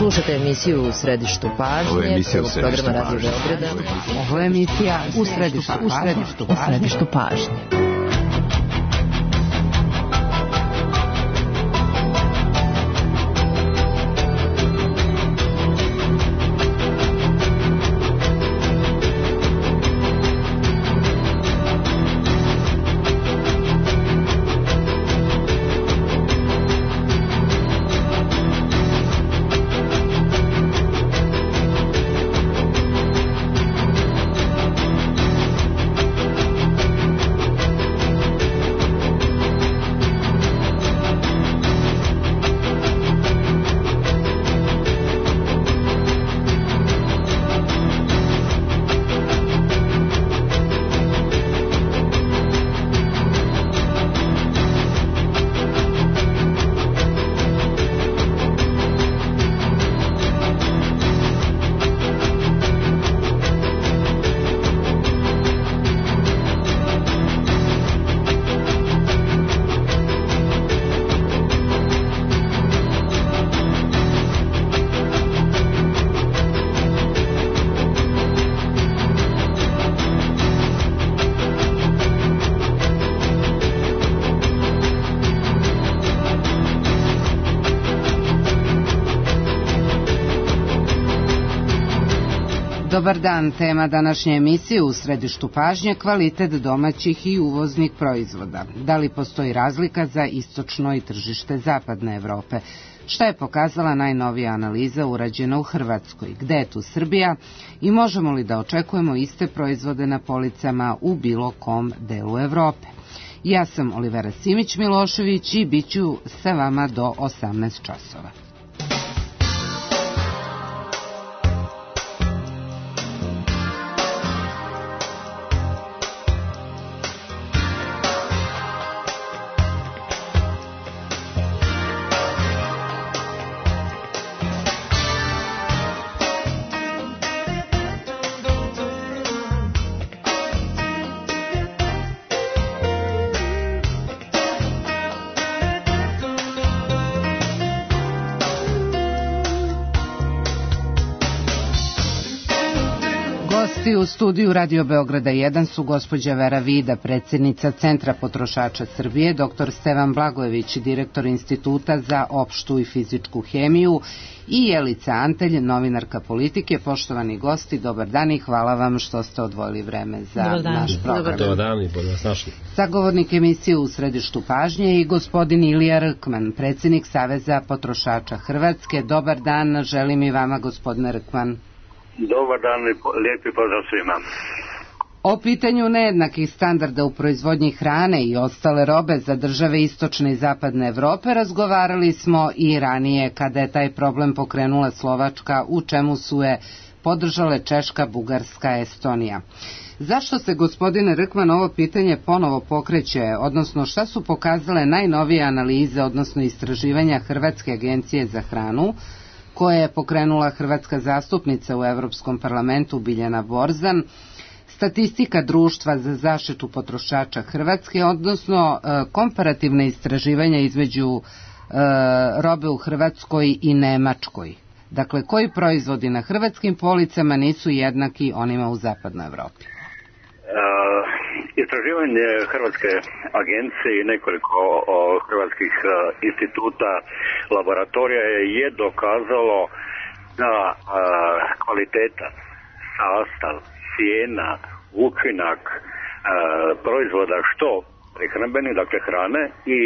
Slušate emisiju U središtu pažnje, programa Radio Beograda. Ovo je emisija U središtu pažnje. Dobar dan, tema današnje emisije U središtu pažnje, kvalitet domaćih i uvoznih proizvoda. Da li postoji razlika za istočno i tržište zapadne Evrope? Šta je pokazala najnovija analiza urađena u Hrvatskoj? Gde je tu Srbija? I možemo li da očekujemo iste proizvode na policama u bilo kom delu Evrope? Ja sam Olivera Simić-Milošević i bit ću sa vama do 18 časova. U studiju Radio Beograda 1 su gospođa Vera Vida, predsjednica Centra potrošača Srbije, dr. Stevan Blagojević, direktor Instituta za opštu i fizičku hemiju i Jelica Antelj, novinarka politike. Poštovani gosti, dobar dan i hvala vam što ste odvojili vreme za naš program. Dobar dan i bolje vas našli. Sagovornik emisije U središtu pažnje i gospodin Ilija Rkman, predsjednik Saveza potrošača Hrvatske. Dobar dan, želim i vama, gospodine Rkman. Dobar dan i lijepi pozdrav svima. O pitanju nejednakih standarda u proizvodnji hrane i ostale robe za države istočne i zapadne Evrope razgovarali smo i ranije kada je taj problem pokrenula Slovačka, u čemu su je podržale Češka, Bugarska, Estonija. Zašto se, gospodine Rkman, ovo pitanje ponovo pokreće, odnosno šta su pokazale najnovije analize, odnosno istraživanja Hrvatske agencije za hranu, koje je pokrenula hrvatska zastupnica u Evropskom parlamentu Biljana Borzan, statistika Društva za zaštitu potrošača Hrvatske, odnosno komparativne istraživanja između robe u Hrvatskoj i Nemačkoj. Dakle, koji proizvodi na hrvatskim policama nisu jednaki onima u zapadnoj Evropi? Istraživanje Hrvatske agencije i nekoliko hrvatskih instituta, laboratorija je dokazalo da kvaliteta, sastav, cijena, učinak proizvoda što prehrambeni, dakle hrane i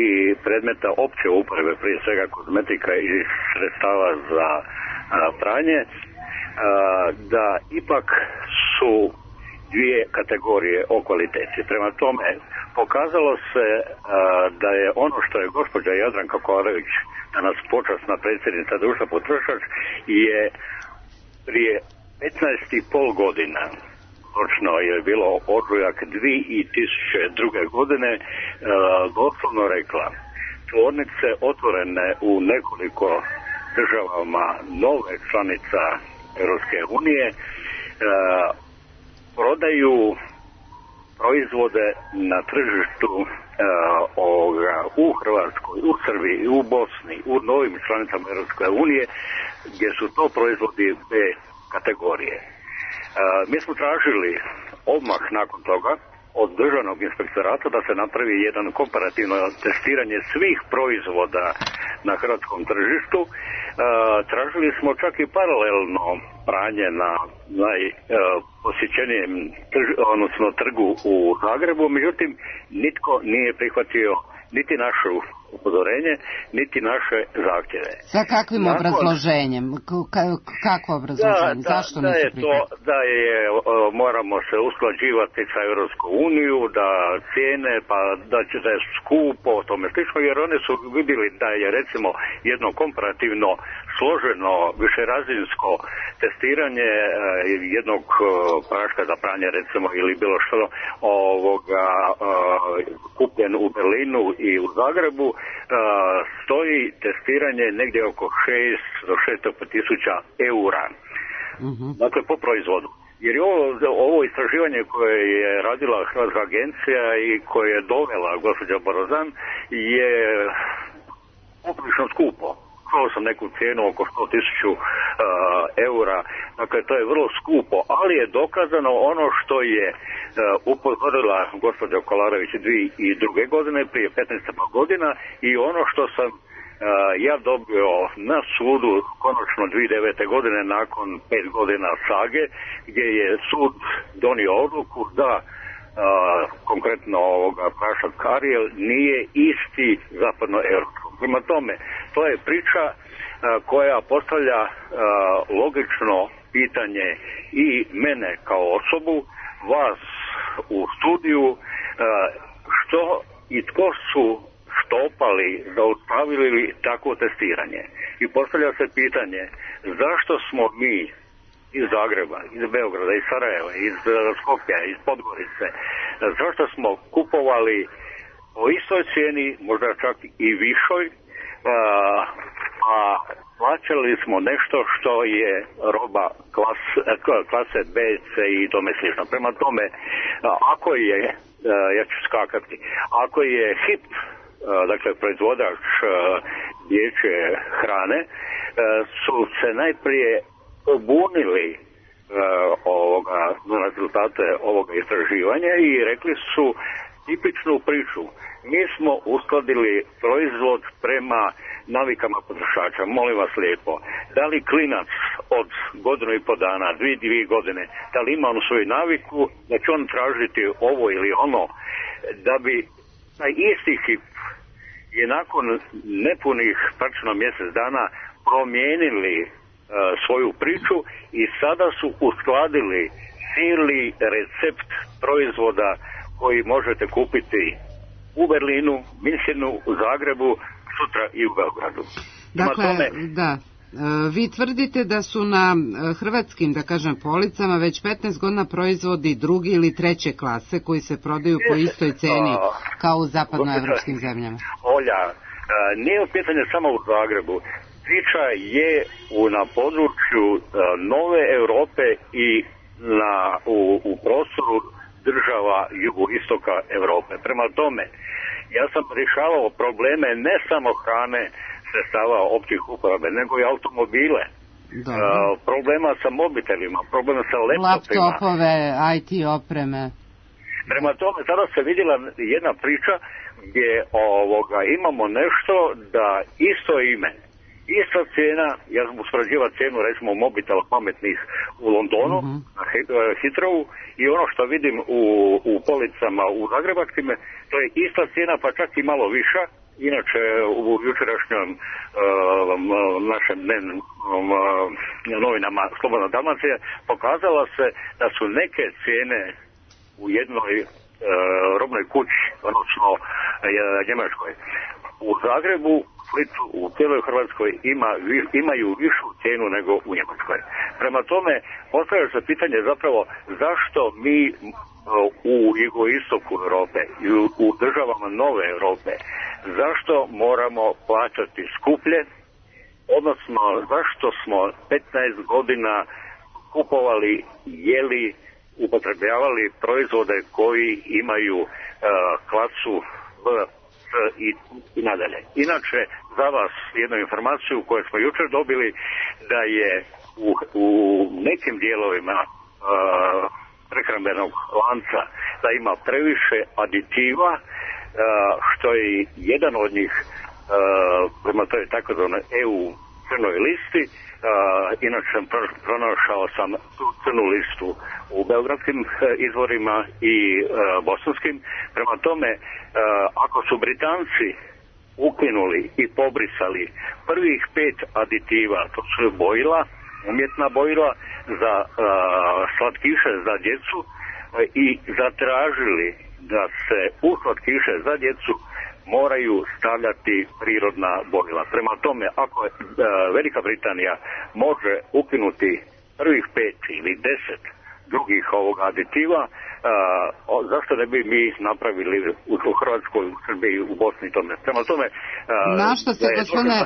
predmeta opće uporabe, prije svega kozmetika i sredstava za pranje, da ipak su dvije kategorije o kvaliteti. Prema tome, pokazalo se da je ono što je gospođa Jadranka Kovarević, danas počasna predsjednica Društva potrošač, je prije 15,5 godina, točno je bilo ožujak 2002. godine, doslovno rekla: tvornice otvorene u nekoliko državama nove članica Europske unije prodaju proizvode na tržištu u Hrvatskoj, u Srbiji, u Bosni, u novim članicama Europske unije, gdje su to proizvodi B kategorije. Mi smo tražili odmah nakon toga od državnog inspektorata da se napravi jedan komparativno testiranje svih proizvoda na hrvatskom tržištu. Tražili smo čak i paralelno pranje na najposjećenijem trgu u Zagrebu, međutim nitko nije prihvatio niti našu upozorenje, niti naše zahtjeve. Sa kakvim obrazloženjem? Kako obrazloženje? Zašto nisu prihvatili? Da moramo se usklađivati sa Europskom uniju, da cijene, pa da je skupo, tome slično, jer oni su vidjeli da je recimo jedno komparativno složeno višerazinsko testiranje jednog praška za pranje recimo ili bilo što kupljen u Berlinu i u Zagrebu, stoji testiranje negdje oko 6 do 600 tisuća eura. Dakle, po proizvodu. Jer ovo istraživanje koje je radila Hrvatska agencija i koje je dovela gospođa Borozan je poprilično skupo. Čuo sam neku cijenu oko 100.000 eura, dakle to je vrlo skupo, ali je dokazano ono što je upozorila gospođa Kolarević 2002. godine, prije 15 godina, i ono što sam ja dobio na sudu konačno 2009. godine nakon 5 godina sage, gdje je sud donio odluku da konkretno prašak Ariel nije isti zapadnoeuropskom. Prema tome, to je priča koja postavlja logično pitanje i mene kao osobu, vas u studiju, što i tko su štopali, zaustavili takvo testiranje. I postavlja se pitanje zašto smo mi iz Zagreba, iz Beograda, iz Sarajeva, iz Skopja, iz Podgorice, zašto smo kupovali po istoj cijeni, možda čak i višoj, a plaćali smo nešto što je roba klase B, C i tome slično. Prema tome, ako je, ja ću skakati, ako je HIP, dakle proizvodač dječje hrane, su se najprije pobunili na rezultate ovoga istraživanja i rekli su tipičnu priču. Mi smo uskladili proizvod prema navikama potrošača. Molim vas lijepo, da li klinac od godinu i po dana, dvije godine, da li ima onu svoju naviku da će on tražiti ovo ili ono, da bi taj isti HIP je nakon nepunih praktično mjesec dana promijenili svoju priču i sada su uskladili cijeli recept proizvoda koji možete kupiti u Berlinu, Minhenu, u Zagrebu, sutra i u Beogradu. Dakle, da. Vi tvrdite da su na hrvatskim, da kažem, policama već 15 godina proizvodi druge ili treće klase koji se prodaju po istoj ceni kao u zapadnoevropskim zemljama. Olja, nije pitanje samo u Zagrebu. Priča je na području nove Europe i u prostoru država jugoistoka Europe. Prema tome, ja sam rješavao probleme ne samo hrane, sredstava općih uporabe, nego i automobile. Problema sa mobitelima, problema sa laptopima. Laptopove, IT opreme. Prema tome, sada se vidjela jedna priča gdje imamo nešto da isto ime, ista cijena, ja sam uspoređivao cijenu recimo mobitela pametnih u Londonu, na Heathrowu, i ono što vidim u policama u zagrebačkim, to je ista cijena pa čak i malo viša. Inače u jučerašnjom našem dnevnim novinama Slobodna Dalmacija pokazala se da su neke cijene u jednoj robnoj kući, odnosno Njemačkoj, u Zagrebu, Splitu, u cijeloj Hrvatskoj imaju višu cijenu nego u Njemačkoj. Prema tome, postavlja se pitanje zapravo zašto mi u jugoistoku Europe i u državama nove Europe, zašto moramo plaćati skuplje, odnosno zašto smo 15 godina kupovali, jeli, upotrebljavali proizvode koji imaju klasu i nadalje. Inače, za vas jednu informaciju koju smo jučer dobili, da je u nekim dijelovima prehrambenog lanca da ima previše aditiva, što je jedan od njih prema toj takozvanoj EU crnoj listi. Inače sam pronašao sam tu crnu listu u beogradskim izvorima i bosanskim. Prema tome, ako su Britanci ukinuli i pobrisali prvih 5 aditiva, to su bojila, umjetna bojila za slatkiše za djecu, i zatražili da se u slatkiše za djecu moraju stavljati prirodna bojila. Prema tome, ako Velika Britanija može ukinuti prvih 5 ili 10 drugih aditiva, zašto ne bi mi napravili u Hrvatskoj, u Srbiji, u Bosni i tome. Prema tome, na što se, gospodine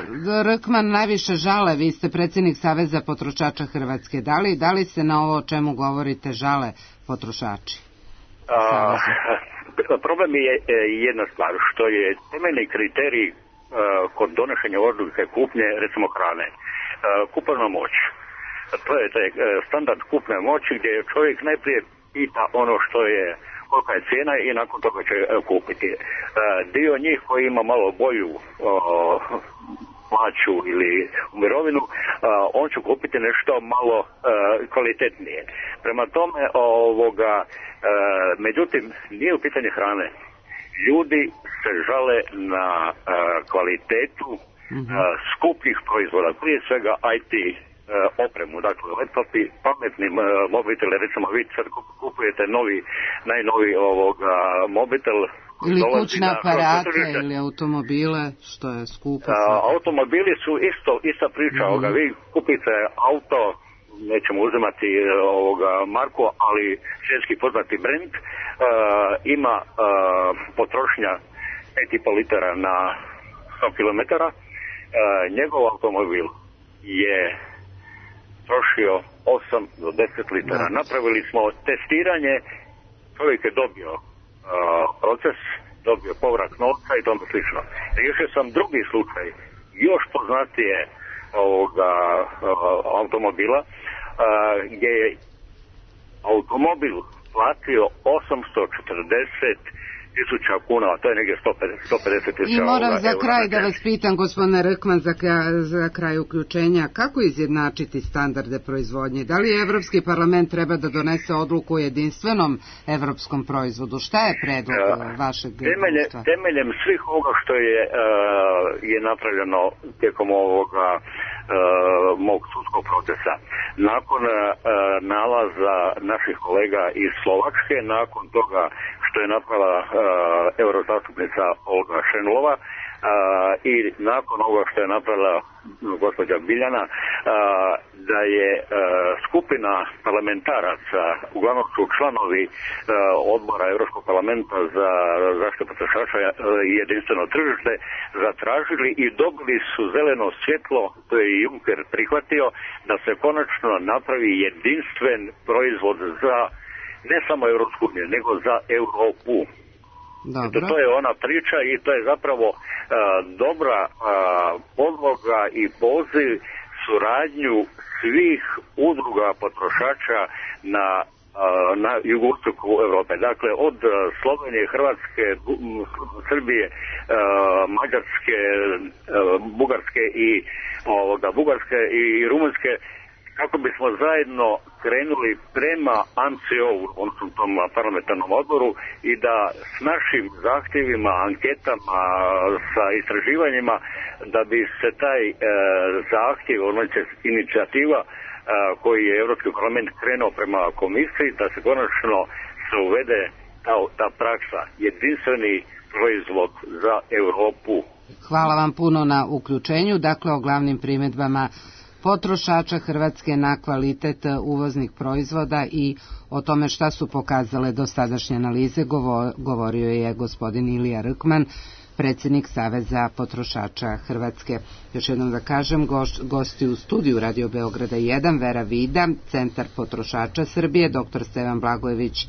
Rkman, najviše žale? Vi ste predsjednik Saveza potrošača Hrvatske. Da li se na ovo o čemu govorite žale potrošači? Problem je jedna stvar, što je temeljni kriterij kod donošenja odluke kupnje, recimo hrane, kupovna moć. To je standard kupne moći gdje čovjek najprije pita ono što je, kolika je cijena i nakon toga će kupiti. Dio njih koji ima malo bolju plaću ili u mirovinu, on će kupiti nešto malo kvalitetnije. Prema tome, međutim, nije u pitanje hrane. Ljudi se žale na kvalitetu skupljih proizvoda, prije svega IT opremu, dakle laptopi, pametni mobiteli, recimo vi sad kupujete najnoviji mobitel, ili kućne aparate ili automobile, što je skupo. Automobili su ista priča. Vi kupite auto, nećemo uzimati marku, ali svjetski poznati brand, ima potrošnja 5,5 litara na 100 km. Njegov automobil je trošio 8 do 10 litara. Napravili smo testiranje, čovjek je dobio proces, dobio povrat novca i tome slično. Riješio sam drugi slučaj, još poznatije automobila, gdje je automobil platio 840.000 kuna, a to je negdje 150.000. I moram za kraj da vas pitam, gospodine Rkman, za kraj uključenja, kako izjednačiti standarde proizvodnje? Da li Evropski parlament treba da donese odluku o jedinstvenom evropskom proizvodu? Šta je predlog vašeg društva? Temeljem svih ovoga što je napravljeno tijekom ovoga mog sudskog procesa, nakon nalaza naših kolega iz Slovačke, nakon toga što je napravila eurozastupnica Olga Šenlova, i nakon ovoga što je napravila gospođa Biljana, da je skupina parlamentaraca, uglavnom su članovi odbora Europskog parlamenta za zaštitu potrošača i jedinstveno tržište, zatražili i dobili su zeleno svjetlo, to je i Juncker prihvatio, da se konačno napravi jedinstven proizvod za ne samo Europsku uniju, nego za Europu. To je ona priča i to je zapravo dobra podloga i poziv suradnju svih udruga potrošača na jugoistoku Europe. Dakle, od Slovenije, Hrvatske, Srbije, Mađarske, Bugarske i Rumunjske, kako bismo zajedno krenuli prema ANCO-u, odnosno tom parlamentarnom odboru, i da s našim zahtjevima, anketama, sa istraživanjima, da bi se taj zahtjev, odnosno inicijativa koji je Europski parlament krenuo prema komisiji, da se konačno se uvede ta praksa, jedinstveni proizvod za Europu. Hvala vam puno na uključenju. Dakle, o glavnim primjedbama potrošača Hrvatske na kvalitet uvoznih proizvoda i o tome šta su pokazale dosadašnje analize govorio je gospodin Ilija Rkman, predsjednik Saveza potrošača Hrvatske. Još jednom da kažem, gosti u studiju Radio Beograda 1, Vera Vida, Centar potrošača Srbije, dr. Stevan Blagojević,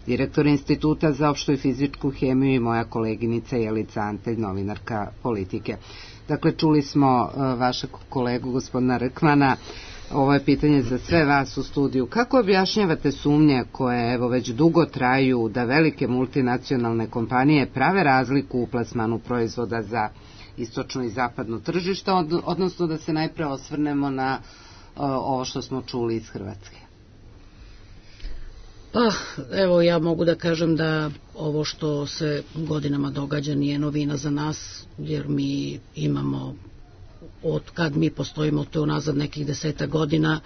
direktor Instituta za opštu i fizičku hemiju i moja koleginica Jelica Antelj, novinarka Politike. Dakle, čuli smo vašeg kolegu, gospodina Rkmana. Ovo je pitanje za sve vas u studiju. Kako objašnjavate sumnje koje evo već dugo traju da velike multinacionalne kompanije prave razliku u plasmanu proizvoda za istočno i zapadno tržište, odnosno da se najpre osvrnemo na ovo što smo čuli iz Hrvatske? Pa, evo, ja mogu da kažem da ovo što se godinama događa nije novina za nas, jer mi imamo, od kad mi postojimo, to je unazad nekih 10 godina,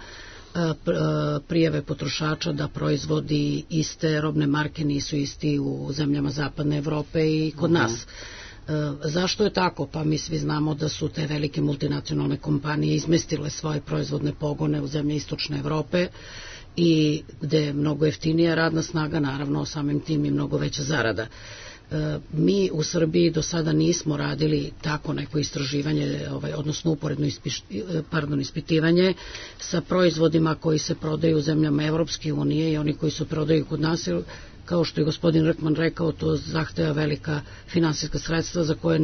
prijave potrošača da proizvodi iste robne marke nisu isti u zemljama zapadne Evrope i kod nas. Zašto je tako? Pa mi svi znamo da su te velike multinacionalne kompanije izmestile svoje proizvodne pogone u zemlje istočne Evrope i gde je mnogo jeftinija radna snaga, naravno samim tim i mnogo veća zarada. Mi u Srbiji do sada nismo radili tako neko istraživanje, odnosno uporedno ispitivanje sa proizvodima koji se prodaju u zemljama Evropske unije i oni koji se prodaju kod nas. Kao što je gospodin Rkman rekao, to zahteva velika finansijska sredstva za koje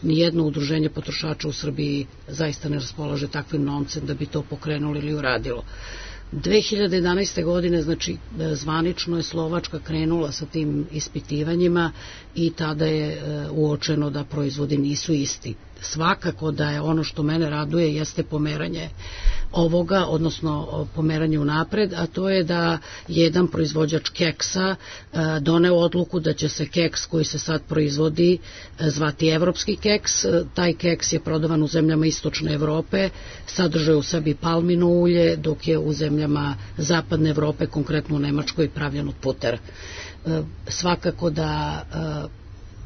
nijedno udruženje potrošača u Srbiji zaista ne raspolaže takvim novcem da bi to pokrenulo ili uradilo. 2011. godine, znači zvanično je Slovačka krenula sa tim ispitivanjima i tada je uočeno da proizvodi nisu isti. Svakako da je ono što mene raduje jeste pomeranje ovoga, odnosno pomeranje unapred, a to je da jedan proizvođač keksa doneo odluku da će se keks koji se sad proizvodi zvati evropski keks. Taj keks je prodavan u zemljama istočne Evrope, sadržuje u sebi palmino ulje, dok je u zemljama zapadne Evrope, konkretno u Nemačkoj, pravljen od putera. Svakako da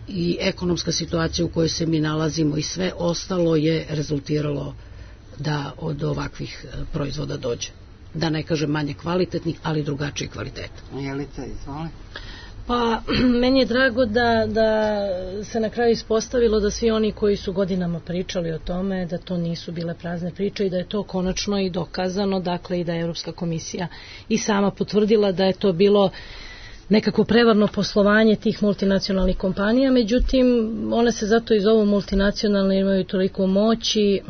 i ekonomska situacija u kojoj se mi nalazimo i sve ostalo je rezultiralo da od ovakvih proizvoda dođe. Da ne kažem manje kvalitetnih, ali drugačiji kvalitet. Jelica, izvoli. Pa, meni je drago da se na kraju ispostavilo da svi oni koji su godinama pričali o tome, da to nisu bile prazne priče i da je to konačno i dokazano, dakle i da je Evropska komisija i sama potvrdila da je to bilo nekako prevarno poslovanje tih multinacionalnih kompanija, međutim, one se zato i zovu multinacionalne, imaju toliko moći.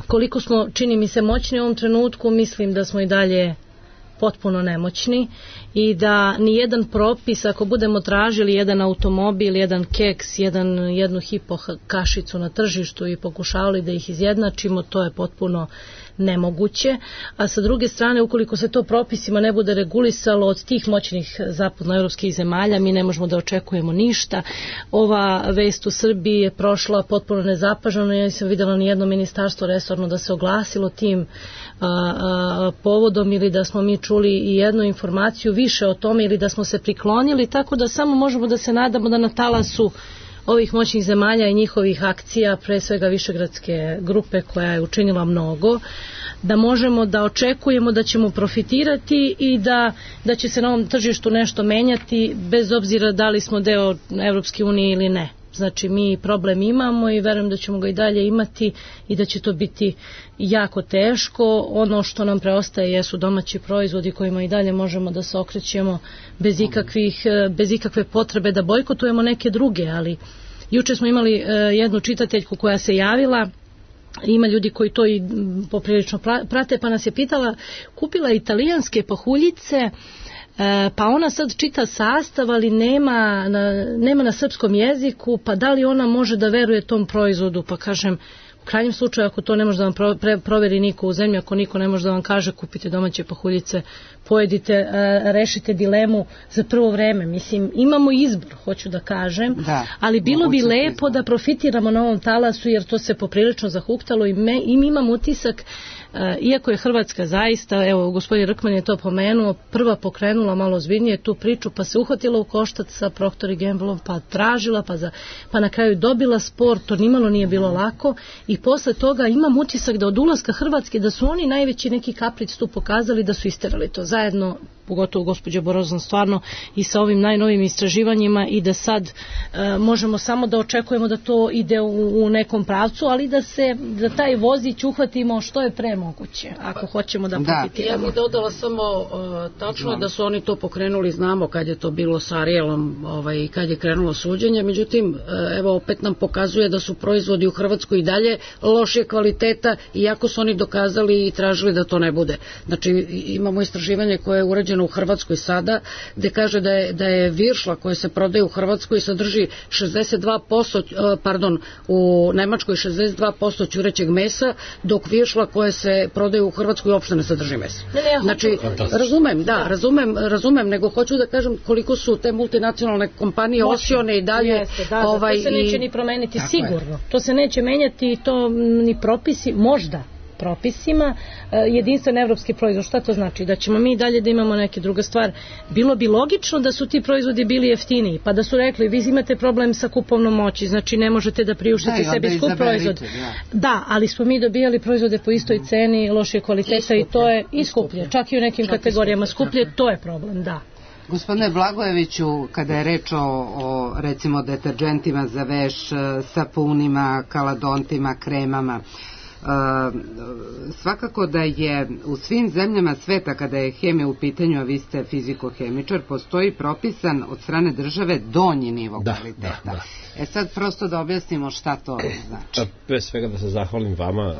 Koliko smo, čini mi se, moćni u ovom trenutku, mislim da smo i dalje potpuno nemoćni i da ni jedan propis, ako budemo tražili jedan automobil, jedan keks, jednu hipo kašicu na tržištu i pokušavali da ih izjednačimo, to je potpuno nemoguće, a sa druge strane, ukoliko se to propisima ne bude regulisalo od tih moćnih zapadnoevropskih zemalja, mi ne možemo da očekujemo ništa. Ova vest u Srbiji je prošla potpuno nezapaženo, ja nisam videla ni jedno ministarstvo resorno da se oglasilo tim povodom ili da smo mi čuli i jednu informaciju više o tome ili da smo se priklonili, tako da samo možemo da se nadamo da na talasu ovih moćnih zemalja i njihovih akcija, pre svega Višegradske grupe koja je učinila mnogo, da možemo da očekujemo da ćemo profitirati i da će se na ovom tržištu nešto menjati bez obzira da li smo deo Evropske unije ili ne. Znači mi problem imamo i verujem da ćemo ga i dalje imati i da će to biti jako teško. Ono što nam preostaje jesu domaći proizvodi kojima i dalje možemo da se okrećemo bez ikakve potrebe da bojkotujemo neke druge, ali juče smo imali jednu čitateljku koja se javila, ima ljudi koji to i poprilično prate, pa nas je pitala, kupila italijanske pahuljice, pa ona sad čita sastav, ali nema na srpskom jeziku, pa da li ona može da veruje tom proizvodu? Pa kažem, u krajnjem slučaju, ako to ne može da vam proveri niko u zemlji, ako niko ne može da vam kaže kupite domaće pahuljice, pojedite, rešite dilemu za prvo vreme. Mislim, imamo izbor, hoću da kažem, ali bilo bi lepo da profitiramo na ovom talasu, jer to se poprilično zahuktalo i mi imamo utisak, iako je Hrvatska zaista, evo gospodin Rkman je to pomenuo, prva pokrenula malo ozbiljnije tu priču, pa se uhvatila u koštac sa Procter & Gambleom, pa tražila, pa na kraju dobila spor, to nimalo nije bilo lako i posle toga imam utisak da od ulaska Hrvatske, da su oni najveći neki kapric tu pokazali, da su isterali to zajedno, pogotovo gospođa Borozan, stvarno i sa ovim najnovim istraživanjima, i da sad možemo samo da očekujemo da to ide u nekom pravcu, ali da taj vozić uhvatimo što je pre moguće, ako hoćemo da profitiramo. Ja bih dodala samo tačno da su oni to pokrenuli, znamo kad je to bilo sa Arielom i kad je krenulo suđenje, međutim, evo opet nam pokazuje da su proizvodi u Hrvatskoj i dalje lošije kvaliteta, iako su oni dokazali i tražili da to ne bude. Znači, imamo istraživanje koje je urađeno u Hrvatskoj sada, gde kaže da je viršla koja se prodaje u Hrvatskoj sadrži 62%, u Nemačkoj 62% ćurećeg mesa, dok viršla koja se prodaje u Hrvatskoj uopšte ne sadrži mesa. Znači, razumem, nego hoću da kažem koliko su te multinacionalne kompanije osione i dalje. To se neće ni promeniti sigurno. To se neće menjati i to ni propisi, možda propisima, jedinstven evropski proizvod. Šta to znači? Da ćemo mi dalje da imamo neke druga stvar. Bilo bi logično da su ti proizvodi bili jeftiniji, pa da su rekli, vi imate problem sa kupovnom moći, znači ne možete da priuštite sebi skup proizvod. Da, ali smo mi dobijali proizvode po istoj ceni, lošije kvaliteta i to je i skuplje. Čak i u nekim kategorijama skuplje, to je problem, da. Gospodine Blagojeviću, kada je reč o recimo deterđentima za veš, sapunima, kaladontima, kremama, svakako da je u svim zemljama sveta, kada je hemija u pitanju, a vi ste fiziko-hemičar, postoji propisan od strane države donji nivo kvaliteta. Da. Sad prosto da objasnimo šta to znači. Pre svega da se zahvalim vama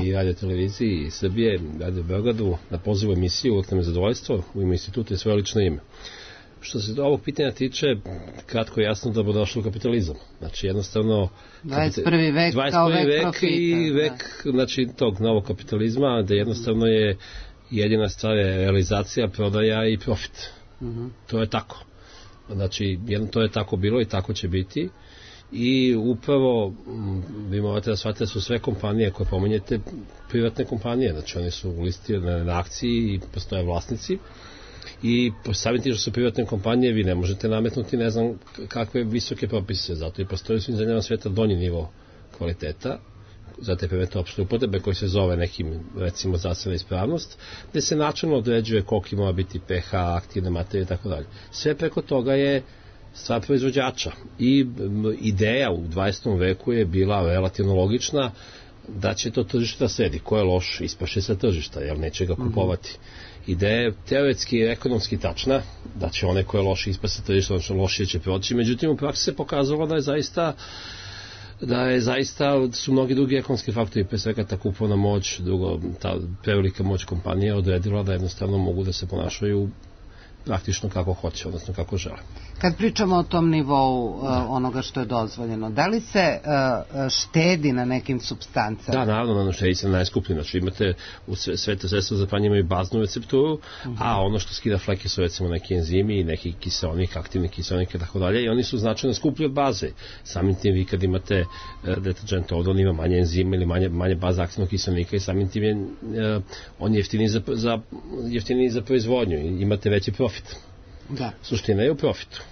i Radio televiziji i Srbije, Radio Beogradu na pozivu emisiju, uvijek nam je zadovoljstvo u ime instituta i svoje lično ime. Što se ovog pitanja tiče, kratko i jasno, dobrodošlo u kapitalizam. Znači, jednostavno 21. vek kao vek profita. I vek, znači, tog novog kapitalizma, da jednostavno je jedina stvar je realizacija, prodaja i profit. To je tako. Znači, to je tako bilo i tako će biti. I upravo, vi morate da shvatite da su sve kompanije koje pomenjete privatne kompanije. Znači, oni su listirane na akciji i postoje vlasnici. I samim tim što su privatne kompanije, vi ne možete nametnuti ne znam kakve visoke propise, zato i postoji u svim zemljama sveta donji nivo kvaliteta za te privatne opšte upotrebe koji se zove nekim, recimo, zdravstvena ispravnost, gde se načelno određuje koliko mora biti pH, aktivne materije i tako dalje. Sve preko toga je stvar proizvođača i ideja u 20. veku je bila relativno logična da će to tržište da sedi. Ko je loš, ispaše sa tržišta, jer neće ga kupovati. Ideja je teoretski i ekonomski tačna, da će one koje loše ispase tržišta, odnosno lošije će proći, međutim u praksi se pokazalo da je zaista su mnogi drugi ekonomski faktori, pre svega ta kupovna moć, drugo ta prevelika moć kompanije odredila da jednostavno mogu da se ponašaju praktično kako hoće, odnosno kako žele. Kad pričamo o tom nivou onoga što je dozvoljeno, da li se štedi na nekim supstancama? Da, naravno, štedi se na najskuplji. Znači imate u sve te sredstva za pranje imaju baznu recepturu, a ono što skida fleke su recimo neki enzimi, neki kiseonik, aktivni kiseonik i tako dalje, i oni su značajno skuplji od baze. Samim tim vi kad imate deterđent ovdje, on ima manje enzima ili manje baze aktivnog kiseonika i samim tim je on jeftiniji za proizvodnju i imate veći profit. Da. Suština je u profitu.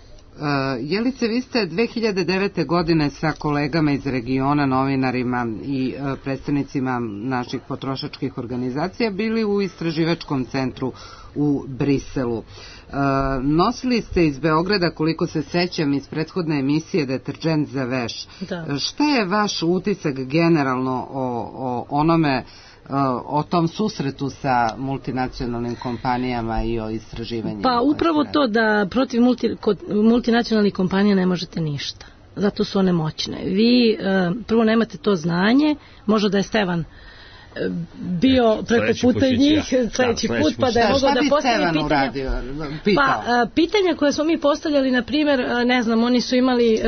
Jelice, vi ste 2009. godine sa kolegama iz regiona, novinarima i predstavnicima naših potrošačkih organizacija bili u istraživačkom centru u Briselu. Nosili ste iz Beograda, koliko se sećam iz prethodne emisije, deterđent za veš. Da. Šta je vaš utisak generalno o onome, o tom susretu sa multinacionalnim kompanijama i o istraživanjima? Pa upravo to da protiv multinacionalnih kompanija ne možete ništa. Zato su one moćne. Vi prvo nemate to znanje, možda da je Stevan bio preko puta njih sledeći put, pa da je mogao da postavi pitanja. Pa pitanja koje smo mi postavljali, na primjer, ne znam, oni su imali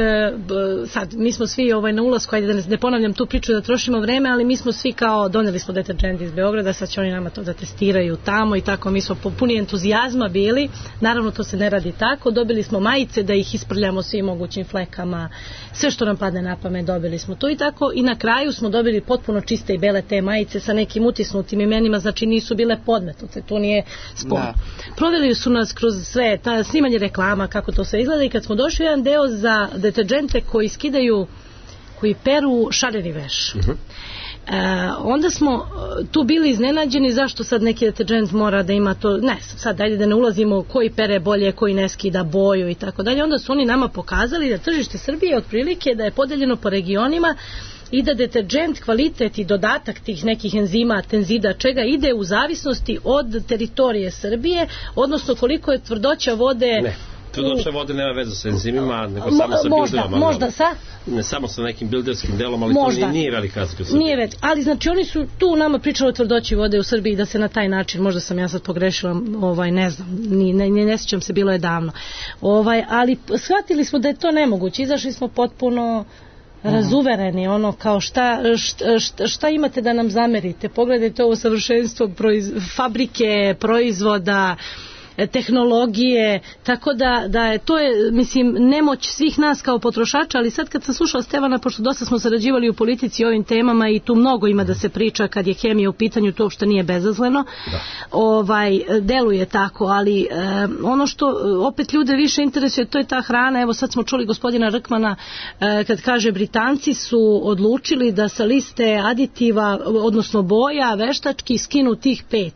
sad, mi smo svi na ulasku, ajde da ne ponavljam tu priču da trošimo vreme, ali mi smo svi kao doneli smo deterđent iz Beograda, sad će oni nama to da testiraju tamo i tako, mi smo puni entuzijazma bili, naravno to se ne radi tako, dobili smo majice da ih isprljamo svim mogućim flekama, sve što nam padne na pamet dobili smo to i tako, i na kraju smo dobili potpuno čiste i bele te majice sa nekim utisnutim imenima, znači nisu bile podmetnute, to nije spor. Proveli su nas kroz sve, snimanje reklama, kako to sve izgleda, i kad smo došli jedan deo za deterđente koji skidaju, koji peru šareni veš. Onda smo tu bili iznenađeni zašto sad neki deterđent mora da ima to, ne, sad ajde da ne ulazimo koji pere bolje, koji ne skida boju i tako dalje. Onda su oni nama pokazali da tržište Srbije otprilike da je podeljeno po regionima i da deterđent, kvalitet i dodatak tih nekih enzima, tenzida, čega ide u zavisnosti od teritorije Srbije, odnosno koliko je tvrdoća vode. Ne, tvrdoća vode nema veze sa enzimima, nego samo sa bilderama. Možda sa? Ne samo sa nekim bilderskim delom, ali možda. To nije velika razlika u Srbiji. Nije već, ali znači oni su tu nama pričali o tvrdoći vode u Srbiji da se na taj način, možda sam ja sad pogrešila, ne znam, ne sjećam se, bilo je davno. Ali shvatili smo da je to nemoguće, izašli smo potpuno razuvereni, ono kao šta imate da nam zamerite, pogledajte ovo savršenstvo fabrike, proizvoda, tehnologije, tako da je to je, mislim, nemoć svih nas kao potrošača, ali sad kad sam slušala Stevana, pošto dosta smo sarađivali u politici o ovim temama i tu mnogo ima da se priča kad je hemija u pitanju, to uopšte nije bezazleno, deluje tako, ali ono što opet ljude više interesuje, to je ta hrana. Evo sad smo čuli gospodina Rkmana kad kaže Britanci su odlučili da sa liste aditiva, odnosno boja, veštački skinu tih 5.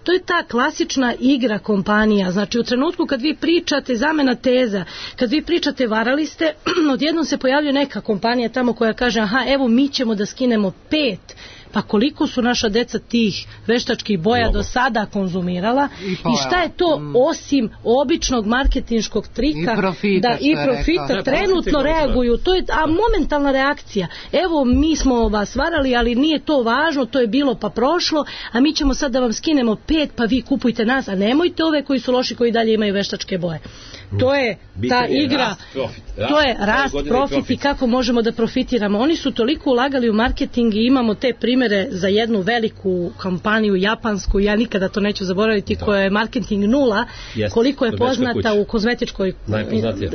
To je ta klasična igra kompanija. Znači u trenutku kad vi pričate, zamena teza, kad vi pričate varali ste, odjednom se pojavljuje neka kompanija tamo koja kaže aha, evo mi ćemo da skinemo 5. Pa koliko su naša deca tih veštačkih boja do sada konzumirala i šta je to osim običnog marketinškog trika i profita trenutno reaguju, to je momentalna reakcija. Evo mi smo vas varali, ali nije to važno, to je bilo pa prošlo, a mi ćemo sad da vam skinemo 5, pa vi kupujte nas, a nemojte ove koji su loši, koji dalje imaju veštačke boje. To je ta igra, to je rast, profit i kako možemo da profitiramo. Oni su toliko ulagali u marketing i imamo te primere za jednu veliku kompaniju japansku, ja nikada to neću zaboraviti, koja je marketing nula, koliko je poznata u kozmetičkoj,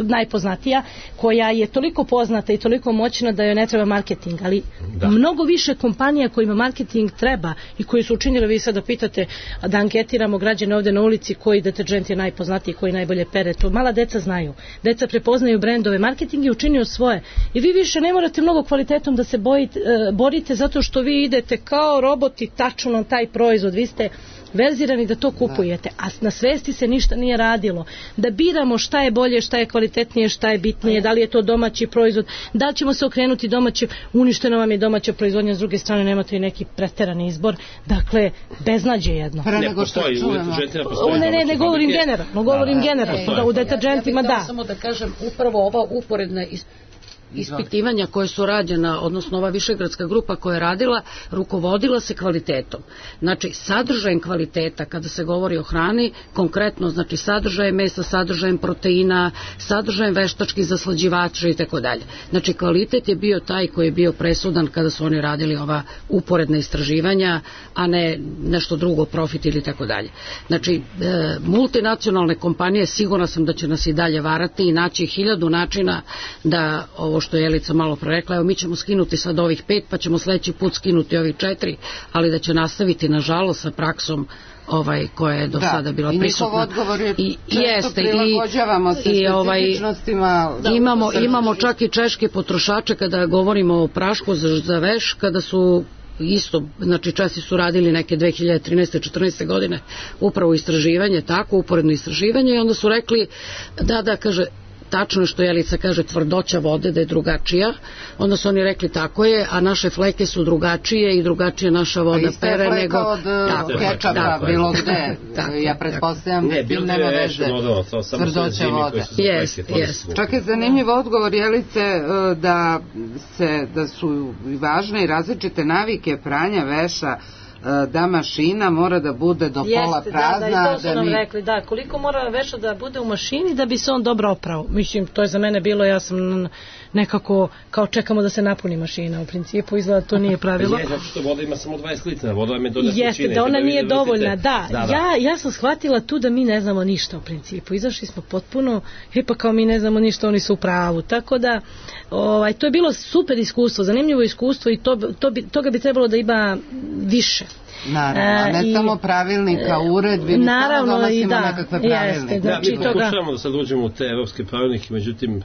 najpoznatija, koja je toliko poznata i toliko moćna da joj ne treba marketing, ali mnogo više kompanija kojima marketing treba i koji su učinili, vi sada pitate da anketiramo građane ovde na ulici koji deterđent je najpoznatiji, koji najbolje pere, to mala deca znaju. Deca prepoznaju brendove, marketing je učinio svoje. I vi više ne morate mnogo kvalitetom da se borite zato što vi idete kao roboti tačno na taj proizvod. Vi ste verzirani da to kupujete, a na svesti se ništa nije radilo. Da biramo šta je bolje, šta je kvalitetnije, šta je bitnije, da li je to domaći proizvod, da li ćemo se okrenuti domaće, uništena vam je domaća proizvodnja, s druge strane nemate i neki preterani izbor, dakle, beznađe jedno. Ne postoji, u deterđentima postoji. Ne govorim generalno, da u deterđentima da. Samo da kažem, upravo ova uporedna ispitivanja koje su rađena, odnosno ova višegradska grupa koja je radila, rukovodila se kvalitetom. Znači, sadržajem kvaliteta, kada se govori o hrani, konkretno, znači, sadržajem mesa, sadržajem proteina, sadržajem veštačkih zaslađivača i tako dalje. Znači, kvalitet je bio taj koji je bio presudan kada su oni radili ova uporedna istraživanja, a ne nešto drugo, profit ili tako dalje. Znači, multinacionalne kompanije, sigurna sam da će nas i dalje varati i naći 1000 načina da ovo što je Jelica malo prerekla, evo mi ćemo skinuti sad ovih 5, pa ćemo sledeći put skinuti ovih 4, ali da će nastaviti nažalost sa praksom koja je do sada bila prisutna. I njihov odgovor je često prilagođavamo se specifičnostima. Imamo čak i češke potrošače kada govorimo o prašku za veš, kada su isto, znači Česi su radili neke 2013. 14. godine upravo istraživanje, tako, uporedno istraživanje i onda su rekli da kaže, tačno je što Jelica kaže tvrdoća vode da je drugačija, onda su oni rekli tako je, a naše fleke su drugačije i drugačije naša voda pere nego... od kečapa bilo gde, ja pretpostavljam da nema veze tvrdoća vode. Čak je zanimljiv odgovor Jelice da su važne i različite navike pranja veša, da mašina mora da bude do pola prazna. Da, i to su nam rekli, da, koliko mora veša da bude u mašini da bi se on dobro oprao. Mislim, to je za mene bilo, ja sam nekako, kao čekamo da se napuni mašina, u principu izgleda to nije pravilo. Zato što voda ima samo 20 litara, voda vam je do neslučine. Jeste, da ona nije dovoljna, da. Ja sam shvatila tu da mi ne znamo ništa u principu, izašli smo potpuno, pa kao mi ne znamo ništa, oni su u pravu, tako da to je bilo super iskustvo, zanimljivo iskustvo i toga bi trebalo da ima više. Naravno, ne samo pravilnika, uredbi, mi samo donosimo nekakve pravilnike. Mi pokušavamo da sad uđemo u te evropske pravilnike, međutim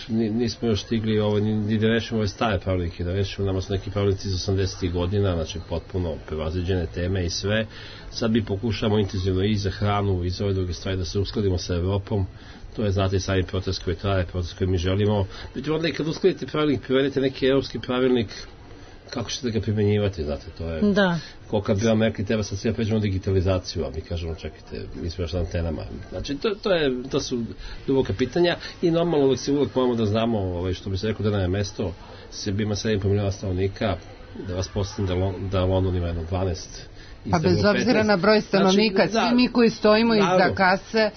nismo još stigli ni da rešimo ove stare pravilnike, da rešimo, nama su neki pravilnici iz 80. godina, znači potpuno prevaziđene teme i sve. Sad mi pokušamo intenzivno i za hranu i za ove druge stvari da se uskladimo sa Evropom. To je, znate, sami proces koji traje, proces koji mi želimo. Međutim, onda i kad uskladite pravilnik, privedete neki evropski pravilnik, kako ćete ga primjenjivati, znate, to je... Da. Ko kad bi vam rekli, treba sad sve pređemo digitalizaciju, a mi kažemo, čekajte, mi smo još na antenama. Znači, to su duboka pitanja i normalno uvijek moramo da znamo, što bi se rekao, da nam je mesto, Srbija ima 7,5 miliona stanovnika, da vas postavim da London ima jedno 12. Pa bez obzira na broj stanovnika, znači, svi mi koji stojimo iza kase,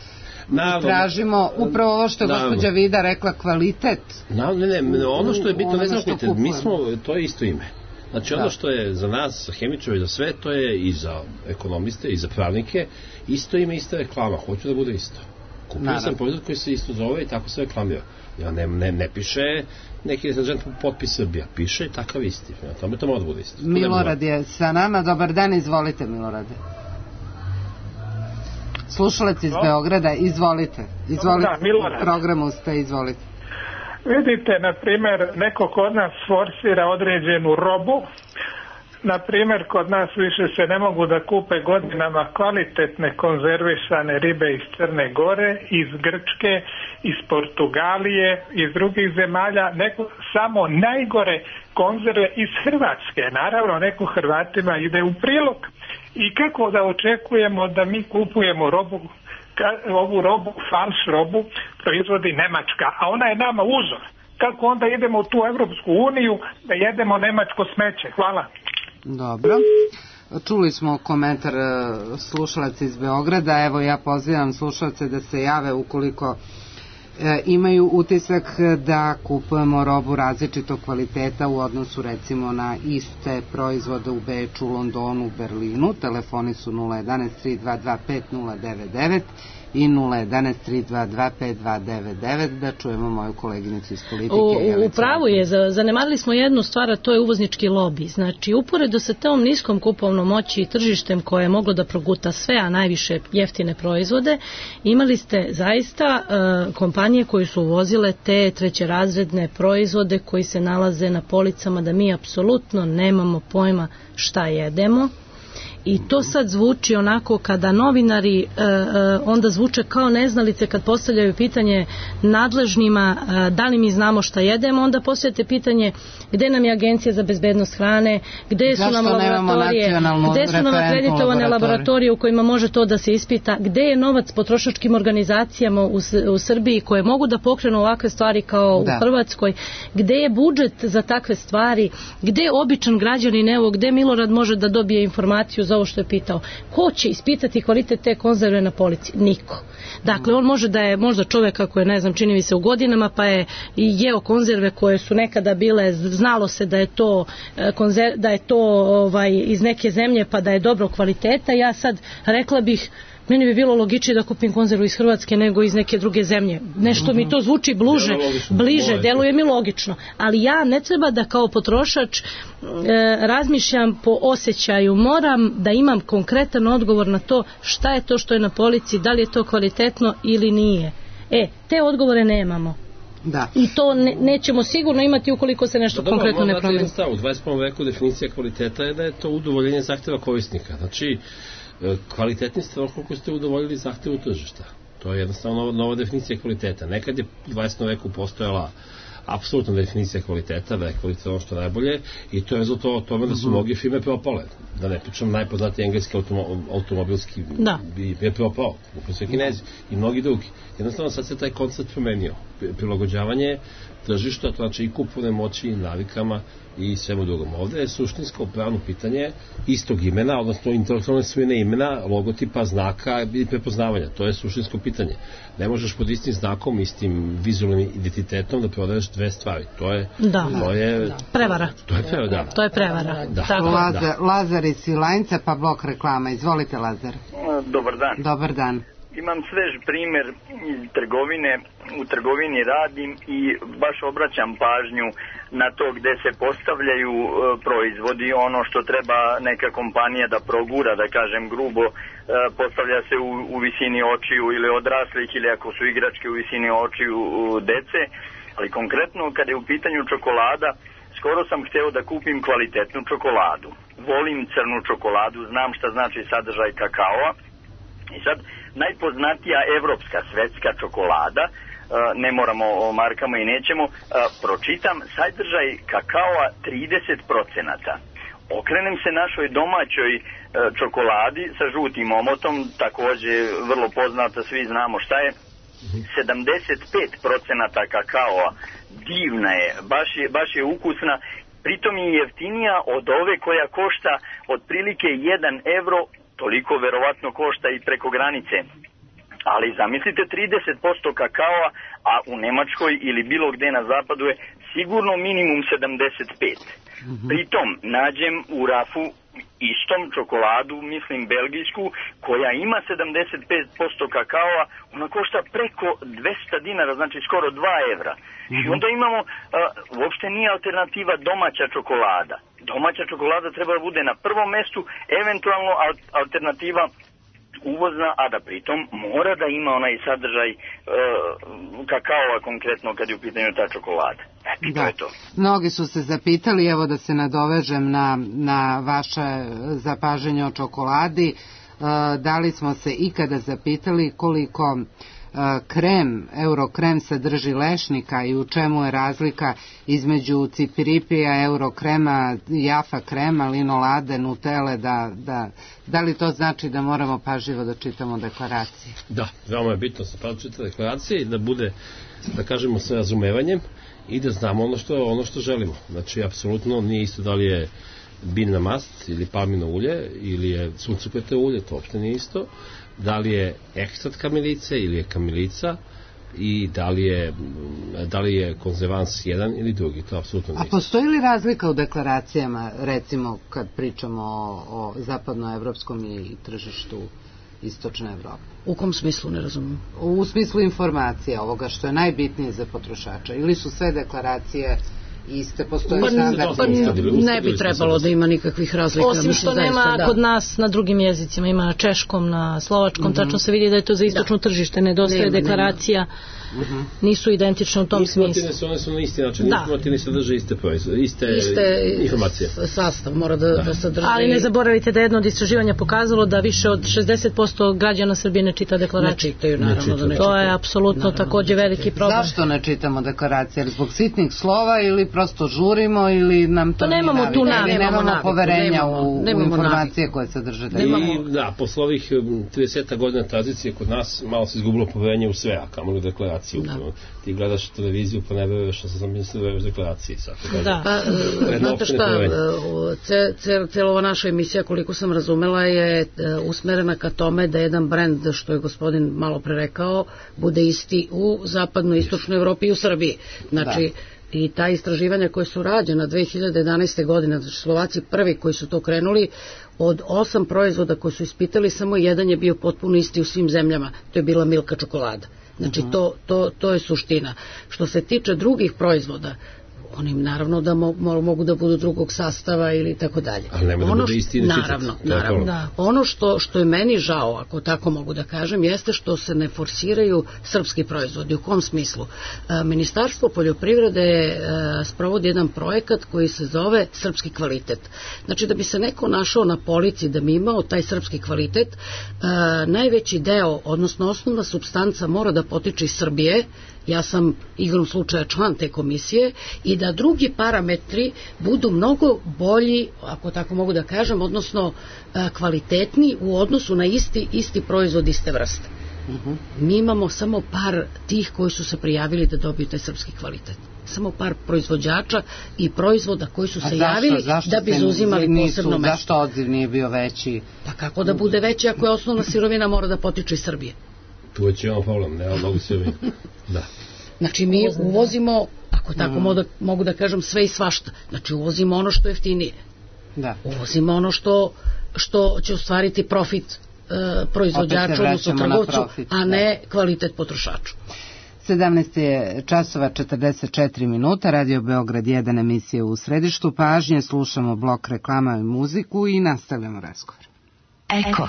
tražimo upravo ovo što je gospođa Vida rekla, kvalitet. Ne, ono što je bitno, ne znam, to je isto ime. Znači ono što je za nas, za hemičare i za sve, to je i za ekonomiste i za pravnike, isto ime, ista reklama, hoću da bude isto. Kupio sam proizvod koji se isto zove i tako se reklamira. Ja ne piše neki potpis Srbija, piše takav isti. Tome to mora da bude isto. Milorad je sa nama, dobar dan, izvolite Milorade. Slušalac iz Beograda, izvolite. Programu ste, izvolite. Vidite, na primjer, neko kod nas forsira određenu robu. Na primjer, kod nas više se ne mogu da kupe godinama kvalitetne konzervisane ribe iz Crne Gore, iz Grčke, iz Portugalije, iz drugih zemalja, samo najgore konzerve iz Hrvatske. Naravno, neko Hrvatima ide u prilog. I kako da očekujemo da mi kupujemo ovu robu, falš robu, proizvodi Nemačka, a ona je nama uzor. Kako onda idemo u tu Evropsku uniju da jedemo nemačko smeće? Hvala. Dobro. Čuli smo komentar slušalaca iz Beograda. Evo, ja pozivam slušalce da se jave ukoliko imaju utisak da kupujemo robu različitog kvaliteta u odnosu recimo na iste proizvode u Beču, Londonu, Berlinu. Telefoni su 011 322 5099 i 011 322 5299. Da čujemo moju koleginicu iz politike. U pravu je, zanemarili smo jednu stvar, a to je uvoznički lobi. Znači, uporedo sa tom niskom kupovnom moći i tržištem koje je moglo da proguta sve, a najviše jeftine proizvode, imali ste zaista kompanije koje su uvozile te trećerazredne proizvode koji se nalaze na policama, da mi apsolutno nemamo pojma šta jedemo. I to sad zvuči onako kada novinari onda zvuče kao neznalice kad postavljaju pitanje nadležnima da li mi znamo šta jedemo, onda postavljate pitanje gde nam je Agencija za bezbednost hrane, gde su nam laboratorije, gde su nam akreditovane laboratorije u kojima može to da se ispita, gde je novac potrošačkim organizacijama u Srbiji koje mogu da pokrenu ovakve stvari kao u Hrvatskoj, gde je budžet za takve stvari, gde je običan građanin, evo gde Milorad može da dobije informaciju za ovo što je pitao. Ko će ispitati kvalitet te konzerve na polici? Niko. Dakle, on može da je možda čovjek kako je, ne znam, čini mi se u godinama, pa je jeo konzerve koje su nekada bile, znalo se da je to iz neke zemlje pa da je dobro kvaliteta. Ja sad rekla bih, meni bi bilo logičnije da kupim konzervu iz Hrvatske nego iz neke druge zemlje. Nešto mi to zvuči bliže, deluje mi logično. Ali ja ne treba da kao potrošač razmišljam po osjećaju. Moram da imam konkretan odgovor na to šta je to što je na polici, da li je to kvalitetno ili nije. Te odgovore nemamo. Da. I to nećemo sigurno imati ukoliko se nešto konkretno ne promeni. U 21. veku definicija kvaliteta je da je to udovoljenje zahtjeva korisnika. Znači, kvalitetni ste koliko ste udovoljili zahtjevu tržišta. To je jednostavno nova definicija kvaliteta. Nekad je u 20. veku postojala apsolutna definicija kvaliteta, da je kvalitet ono što najbolje i to je rezultat od tome da su mnogi firme propale. Da ne pričam, najpoznatiji engleski automobilski je propao, upravo sve Kinezi i mnogi drugi. Jednostavno sad se taj koncept promenio. Prilagođavanje tržišta, to znači i kupovne moći, i navikama i svemu drugom. Ovdje je suštinsko pravno pitanje istog imena, odnosno intelektualne svojine imena, logotipa, znaka i prepoznavanja. To je suštinsko pitanje. Ne možeš pod istim znakom, istim vizualnim identitetom da prodaješ dve stvari. To je prevara. To je prevara. Lazar iz Svilajnca, pa blok reklama. Izvolite, Lazar. Dobar dan. Dobar dan. imam svež primjer iz trgovine, u trgovini radim i baš obraćam pažnju na to gde se postavljaju proizvodi, ono što treba neka kompanija da progura, da kažem grubo, postavlja se u visini očiju ili odraslih ili ako su igračke u visini očiju dece, ali konkretno kad je u pitanju čokolada, skoro sam hteo da kupim kvalitetnu čokoladu. Volim crnu čokoladu, znam šta znači sadržaj kakaoa. I sad, najpoznatija evropska svetska čokolada, ne moramo o markama i nećemo, pročitam sadržaj kakaoa 30%. Okrenem se našoj domaćoj čokoladi sa žutim omotom, takođe vrlo poznata, svi znamo šta je, 75% kakaoa, divna je, baš je ukusna, pritom je jeftinija od ove koja košta otprilike 1 evro, toliko verovatno košta i preko granice. Ali zamislite 30% kakaoa, a u Nemačkoj ili bilo gde na zapadu je sigurno minimum 75. Pritom nađem u rafu istom čokoladu, mislim belgijsku, koja ima 75% kakaoa, ona košta preko 200 dinara, znači skoro 2 evra. I onda imamo, uopšte nije alternativa domaća čokolada. Domaća čokolada treba da bude na prvom mestu, eventualno alternativa uvozna, a da pritom mora da ima onaj sadržaj kakaova konkretno kad je u pitanju ta čokolada. Eto, to je to. Mnogi su se zapitali, evo da se nadovežem na vaše zapažanje o čokoladi, da li smo se ikada zapitali koliko eurokrem sadrži lešnika i u čemu je razlika između cipiripija, eurokrema, jafa krema, linolade, nutele, da li to znači da moramo pažljivo da čitamo deklaracije? Da, veoma je bitno da se čita deklaracije i da bude, da kažemo, sa razumevanjem i da znamo ono što želimo. Znači, apsolutno nije isto da li je biljna mast ili palmino ulje ili je suncokrete ulje, to uopšte nije isto. Da li je ekstrat kamilice ili je kamilica i da li je konzervans jedan ili drugi, to apsolutno nije. A postoji li razlika u deklaracijama, recimo kad pričamo o zapadnoevropskom i tržištu istočne Evrope? U kom smislu, ne razumijem? U smislu informacija, ovoga što je najbitnije za potrošača, ili su sve deklaracije iste, postoje ne bi trebalo da ima nikakvih razlika. Osim što nema kod nas na drugim jezicima, ima na češkom, na slovačkom, tačno se vidi da je to za istočno tržište, nedostaje deklaracija, nisu identične u tom smislu. One su na isti način, informativni sadrže iste informacije. Sastav mora da sadrže. Ali ne zaboravite da je jedno od istraživanja pokazalo da više od 60% građana Srbije ne čita deklaracije. Ne čitaju, naravno da ne čitaju. To je apsolutno takođe veliki problem. Zašto ne čitamo deklaracije? Zbog sitnih slova ili prosto žurimo ili nam to nije navika? Nemamo poverenja u informacije koje sadrže deklaracije. Da, posle ovih 30 godina tradicije kod nas malo se izgubilo poverenje u sve, a kamoli u deklaraciju. Ti gledaš televiziju pa ne veruješ što sam mislio u deklaraciji. Znate šta, cijela ova naša emisija, koliko sam razumela, je usmerena ka tome da jedan brend, što je gospodin malo pre rekao, bude isti u zapadnoj, istočnoj Evropi i u Srbiji. Znači, i ta istraživanja koje su rađena 2011. godine, znači Slovaci prvi koji su to krenuli, od 8 proizvoda koji su ispitali, samo jedan je bio potpuno isti u svim zemljama, to je bila Milka čokolada. Znači, to je suština. Što se tiče drugih proizvoda, oni naravno da mogu da budu drugog sastava ili tako dalje. Ali nema da bude isti naravno. Ono što je meni žao, ako tako mogu da kažem, jeste što se ne forsiraju srpski proizvodi. U kom smislu? Ministarstvo poljoprivrede sprovodi jedan projekat koji se zove Srpski kvalitet. Znači, da bi se neko našao na polici da bi imao taj srpski kvalitet, najveći deo, odnosno osnovna supstanca mora da potiče iz Srbije. Ja sam igrom slučaja član te komisije, i da drugi parametri budu mnogo bolji, ako tako mogu da kažem, odnosno kvalitetni u odnosu na isti proizvod iste vrste. Mi imamo samo par tih koji su se prijavili da dobiju taj srpski kvalitet. Samo par proizvođača i proizvoda koji su se javili da bi zauzimali posebno mesto. Zašto odziv nije bio veći? Pa kako da bude veći ako je osnovna sirovina mora da potiče iz Srbije? Tu već imamo problem, nema mnogo sirovina. Da. Znači mi uvozimo, ako tako mogu da kažem, sve i svašta. Znači uvozimo ono što je jeftinije. Uvozimo ono što će ostvariti profit proizvođaču, odnosno trgovcu, a ne kvalitet potrošaču. 17 je časova 44 minuta, Radio Beograd 1, emisija U središtu pažnje, slušamo blok reklama i muziku i nastavljamo razgovor. Eko.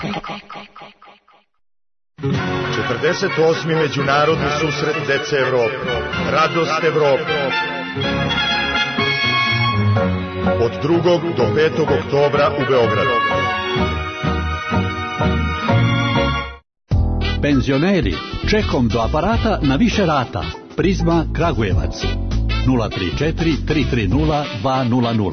48. međunarodni susret dece Evrope. Radost Evrope. Od 2. do 5. oktobra u Beogradu. Penzioneri, čekom do aparata na više rata. Prizma Kragujevac 034 330 200.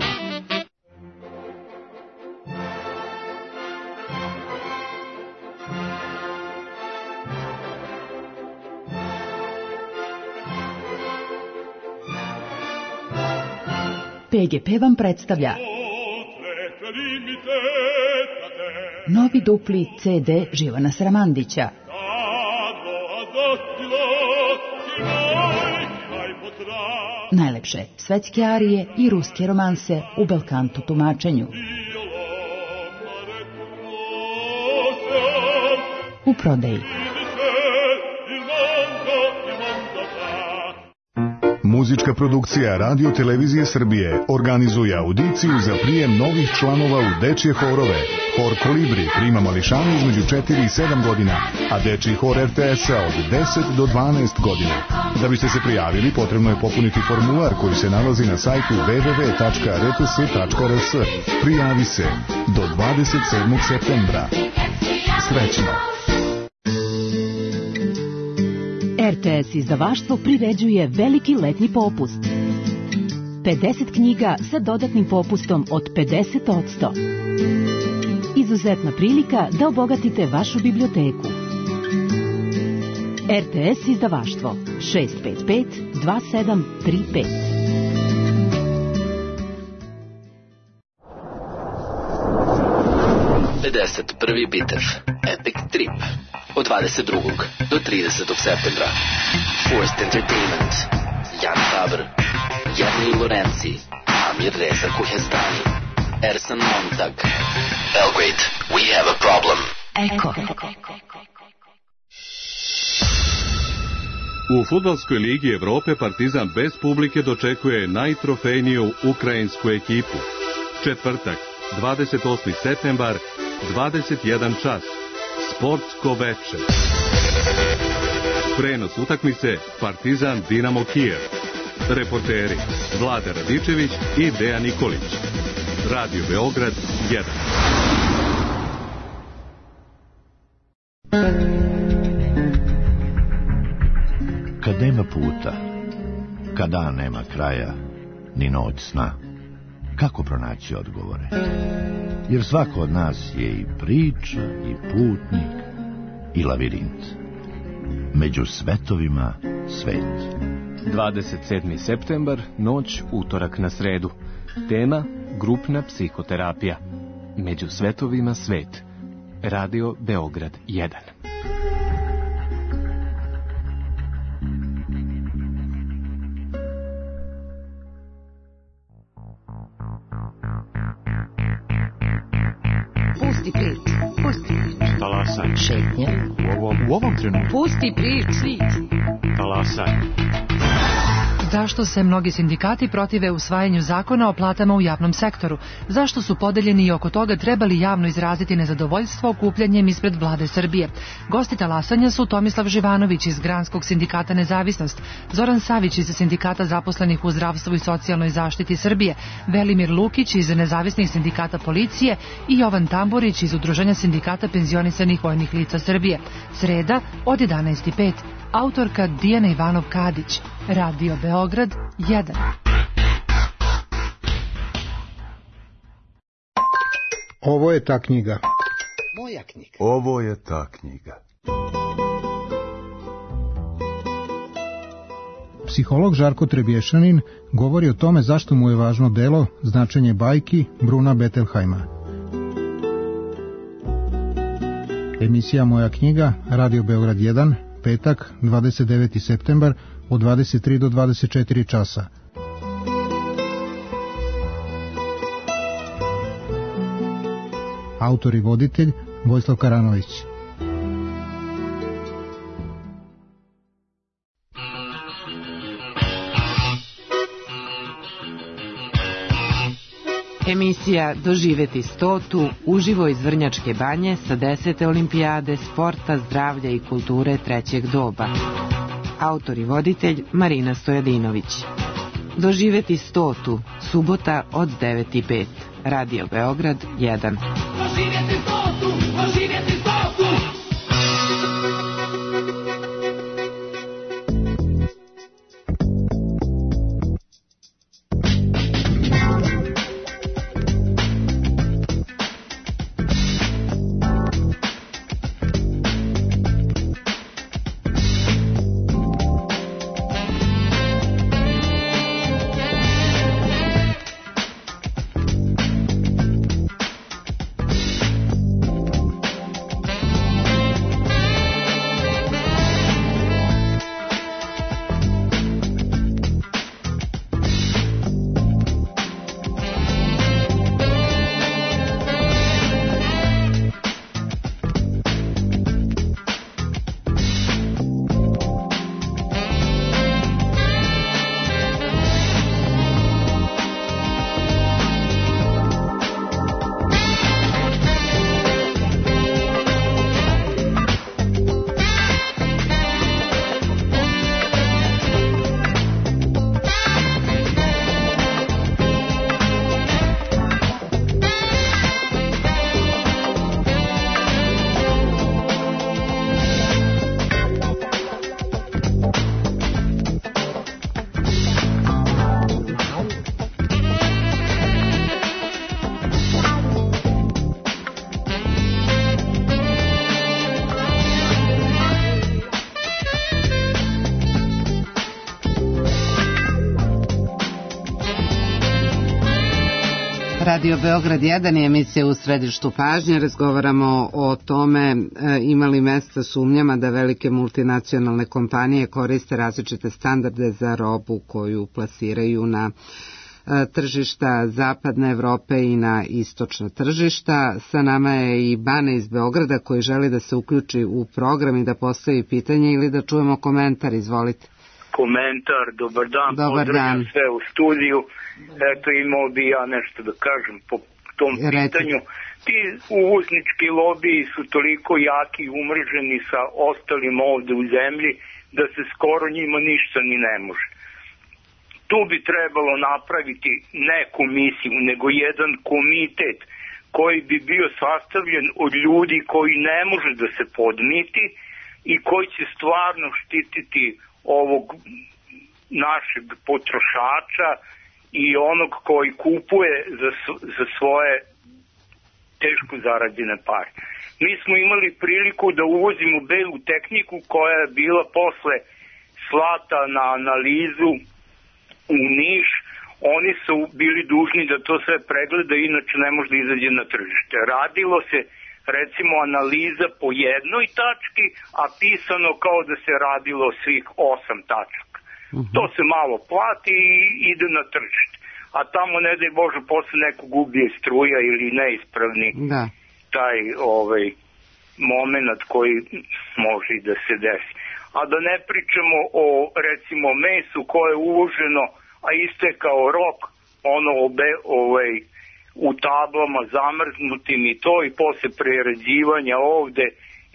PGP vam predstavlja novi dupli CD Živana Sramandića. Najlepše svetske arije i ruske romanse u belkanto tumačenju. U prodaji. Muzička produkcija Radio Televizije Srbije organizuje audiciju za prijem novih članova u dečje horove. Hor Kolibri prima mališane između 4 i 7 godina, a dečji hor RTS-a od 10 do 12 godina. Da biste se prijavili, potrebno je popuniti formular koji se nalazi na sajtu www.rts.rs. Prijavi se do 27. septembra. Srećno! RTS izdavaštvo priređuje veliki letnji popust. 50 knjiga sa dodatnim popustom od 50%. Izuzetna prilika da obogatite vašu biblioteku. RTS izdavaštvo 655 2735. Prvi bitev Epic Trip od 22. do 30. septembra. Forced Entertainment, Jan Faber, Jarni Lorenzi, Amir Reza Kuhestani, Ersan Montag. Belgrade, we have a problem. Eko. U fudbalskoj ligi Evrope Partizan bez publike dočekuje najtrofejniju ukrajinsku ekipu. Četvrtak, 28. septembar, 21 čas. Sportsko veče. Prenos utakmice Partizan Dinamo Kijev. Reporteri Vlada Radičević i Dejan Nikolić. Radio Beograd 1. Kad nema puta, kad dan nema kraja, ni noć sna, kako pronaći odgovore? Jer svako od nas je i priča, i putnik, i lavirint. Među svetovima svet. 27. septembar, noć, utorak na sredu. Tema, grupna psihoterapija. Među svetovima svet. Radio Beograd 1. Pusti prič. Talasaj. Šetnja. U ovom trenutku. Pusti prič. Talasaj. Zašto se mnogi sindikati protive usvajanju zakona o platama u javnom sektoru? Zašto su podeljeni i oko toga trebali javno izraziti nezadovoljstvo okupljanjem ispred vlade Srbije? Gosti talasanja su Tomislav Živanović iz Granskog sindikata Nezavisnost, Zoran Savić iz Sindikata zaposlenih u zdravstvu i socijalnoj zaštiti Srbije, Velimir Lukić iz Nezavisnih sindikata policije i Jovan Tamburić iz Udruženja sindikata penzionisanih vojnih lica Srbije. Sreda od 11:05. Autorka Dijana Ivanov-Kadić. Radio Beograd 1. Ovo je ta knjiga. Moja knjiga. Ovo je ta knjiga. Psiholog Žarko Trebješanin govori o tome zašto mu je važno delo Značenje bajki Bruna Bettelheima. Emisija Moja knjiga, Radio Beograd 1, petak, 29. septembar, od 23 do 24 časa. Autor i voditelj Vojislav Karanović. Emisija Doživeti 100. uživo iz Vrnjačke banje sa 10. olimpijade sporta, zdravlja i kulture trećeg doba. Autor i voditelj Marina Stojadinović. Doživeti 100. subota od 9:05. Radio Beograd 1. Doživeti 100. Doživeti 100. Radio Beograd 1 je emisija u središtu pažnje. Razgovaramo o tome imali mesta sumnjama da velike multinacionalne kompanije koriste različite standarde za robu koju plasiraju na tržišta zapadne Evrope i na istočna tržišta. Sa nama je i Bane iz Beograda koji želi da se uključi u program i da postavi pitanje ili da čujemo komentar. Izvolite. Komentar, dobar dan, pozdravljam sve u studiju. Eto, imao bi ja nešto da kažem po tom pitanju. Ti uvoznički lobiji su toliko jaki i umreženi sa ostalim ovde u zemlji da se skoro njima ništa ni ne može. Tu bi trebalo napraviti ne komisiju, nego jedan komitet koji bi bio sastavljen od ljudi koji ne može da se podmiti i koji će stvarno štititi ovog našeg potrošača i onog koji kupuje za svoje teško zarađene pare. Mi smo imali priliku da uvozimo belu tehniku koja je bila posle slata na analizu u Niš. Oni su bili dužni da to sve pregleda, inače ne može da izađe na tržište. Radilo se recimo analiza po jednoj tački, a pisano kao da se radilo svih 8 tačaka. To se malo plati i ide na tržište. A tamo, ne daj Bože, posle nekog ubije struja ili neispravni taj moment koji može i da se desi. A da ne pričamo o, recimo, mesu koje je uloženo, a istekao rok, u tablama zamrznutim i to, i posle prerađivanja ovde,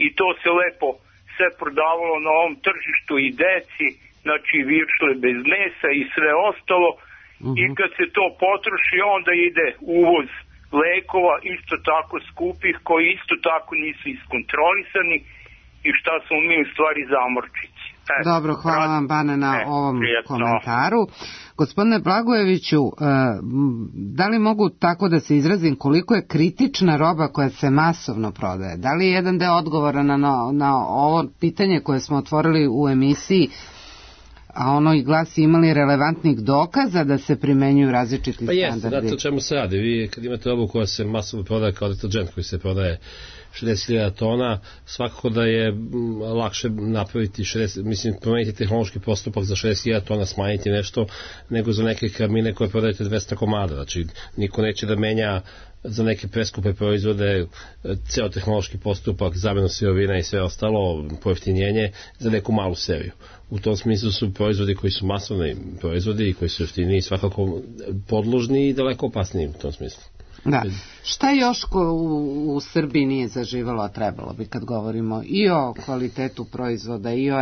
i to se lepo sve prodavalo na ovom tržištu i deci, znači viršle bez mesa i sve ostalo, i kad se to potroši onda ide uvoz lekova isto tako skupih koji isto tako nisu iskontrolisani i šta smo mi u stvari zamorčići. Dobro, hvala vam Bane na ovom komentaru. Gospodine Blagojeviću, da li mogu tako da se izrazim koliko je kritična roba koja se masovno prodaje? Da li je jedan deo odgovora na ovo pitanje koje smo otvorili u emisiji, a ono i glasi imali relevantnih dokaza da se primenjuju različiti standardi? Pa jeste, znate o čemu se radi. Vi kad imate robu koja se masovno prodaje kao deterđent koji se prodaje 60.000 tona, svakako da je lakše napraviti promeniti tehnološki postupak za 60.000 tona, smanjiti nešto, nego za neke karmine koje prodajete 200 komada. Znači, niko neće da menja za neke preskupe proizvode, ceo tehnološki postupak, zamenu sirovina i sve ostalo, pojeftinjenje za neku malu seriju. U tom smislu su proizvodi koji su masovni proizvodi i koji su jeftiniji svakako podložni i daleko opasniji u tom smislu. Da. Šta još u Srbiji nije zaživalo, a trebalo bi kad govorimo i o kvalitetu proizvoda i o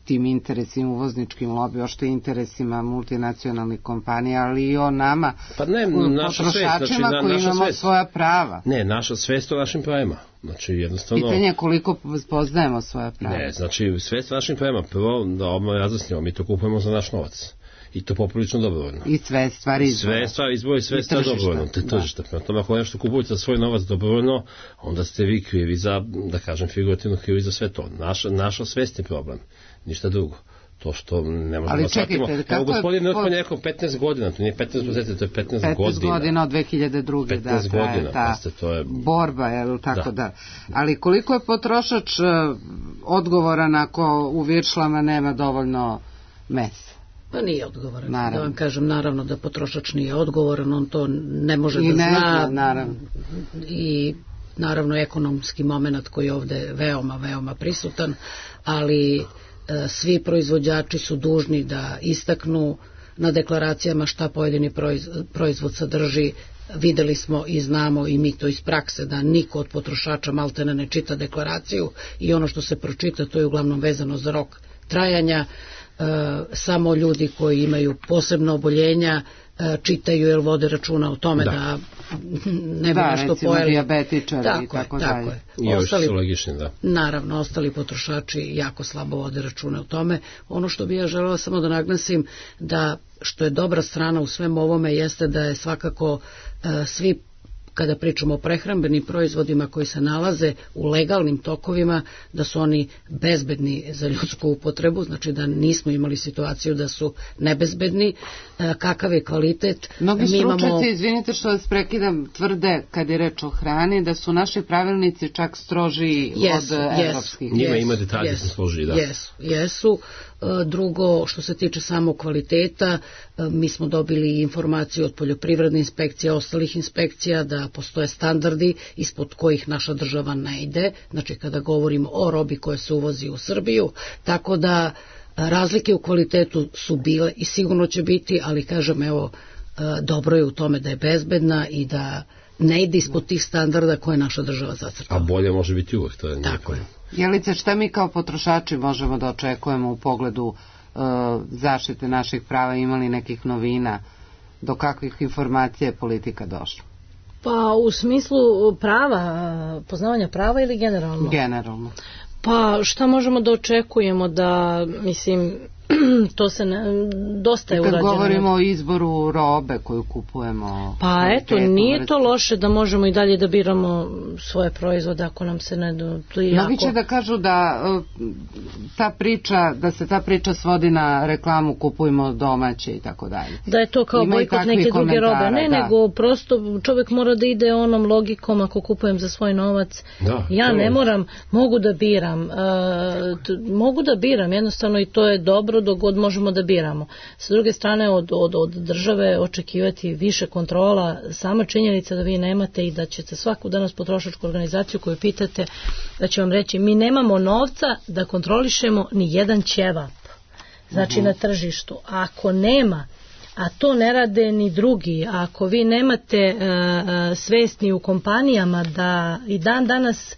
tim interesima uvozničkim lobijima, što interesima multinacionalnih kompanija, ali i o nama, potrošačima koji imamo svoja prava. Ne, naša svest o našim pravima. Znači, jednostavno... Pitanje je koliko poznajemo svoja prava. Ne, znači, svest o našim pravima, prvo da odmah razjasnimo, mi to kupujemo za naš novac. I to poprilično dobrovoljno. I sve stvari izbora. Sve stvari izbora i sve stvari dobrovoljno. Te tržišta. Prema tome, ako nešto kupujete za svoj novac dobrovoljno, onda ste vi krivi za, da kažem, figurativno krivi za sve to. Naša svest je problem. Ništa drugo. To što ne možemo da shvatimo. Evo, gospodin Nrtman je rekao 15 godina, to nije 15 meseci, to je 15 godina. 15 godina od 2002. 15 godina, pasite, to je... Borba, jel tako da. Ali koliko je potrošač odgovoran ako u viršlama nema dovoljno mesa? Pa nije odgovoran. Naravno. Da vam kažem, naravno da potrošač nije odgovoran, on to ne može da zna. Naravno. I naravno ekonomski moment koji je ovde veoma prisutan, ali svi proizvođači su dužni da istaknu na deklaracijama šta pojedini proizvod sadrži. Videli smo i znamo i mi to iz prakse da niko od potrošača maltene ne čita deklaraciju i ono što se pročita to je uglavnom vezano za rok trajanja. Samo ljudi koji imaju posebna oboljenja čitaju jer vode računa o tome da ne bi nešto recimo pojeli. Dijabetičari i tako dalje. I ostali, su logični, da. Naravno, ostali potrošači jako slabo vode račune o tome. Ono što bi ja želela samo da naglasim da što je dobra strana u svem ovome jeste da je svakako svi kada pričamo o prehrambenim proizvodima koji se nalaze u legalnim tokovima, da su oni bezbedni za ljudsku upotrebu, znači da nismo imali situaciju da su nebezbedni. Kakav je kvalitet? Mnogi stručnjaci, izvinite što vas prekidam, tvrde kad je reč o hrani da su naši pravilnici čak stroži od evropskih. Njima ima detalje su složi, da. Jesu. Drugo, što se tiče samog kvaliteta, mi smo dobili informaciju od poljoprivredne inspekcije, ostalih inspekcija, da postoje standardi ispod kojih naša država ne ide, znači kada govorimo o robi koja se uvozi u Srbiju, tako da razlike u kvalitetu su bile i sigurno će biti, ali kažem, evo, dobro je u tome da je bezbedna i da ne ide ispod tih standarda koje naša država zacrtala. A bolje može biti uvek, to je tako je. Jelice, šta mi kao potrošači možemo da očekujemo u pogledu zaštite naših prava, imali nekih novina, do kakvih informacija je politika došla? Pa u smislu prava, poznavanja prava ili generalno? Generalno. Pa šta možemo da očekujemo da, mislim, to se dosta je urađeno. Kad govorimo o izboru robe koju kupujemo. Pa eto, nije to loše da možemo i dalje da biramo svoje proizvode ako nam se ne... Mnogi će da kažu da se ta priča svodi na reklamu kupujmo domaće i tako dalje. Da je to kao bojkot neke druge robe. Ne, nego prosto čovjek mora da ide onom logikom ako kupujem za svoj novac. Ja ne moram, mogu da biram jednostavno i to je dobro dok god možemo da biramo. Sa druge strane od države očekivati više kontrola, sama činjenica da vi nemate i da ćete svaku danas potrošačku organizaciju koju pitate da će vam reći mi nemamo novca da kontrolišemo ni jedan ćevap, znači na tržištu. A ako nema, a to ne rade ni drugi, a ako vi nemate svesni u kompanijama da i dan danas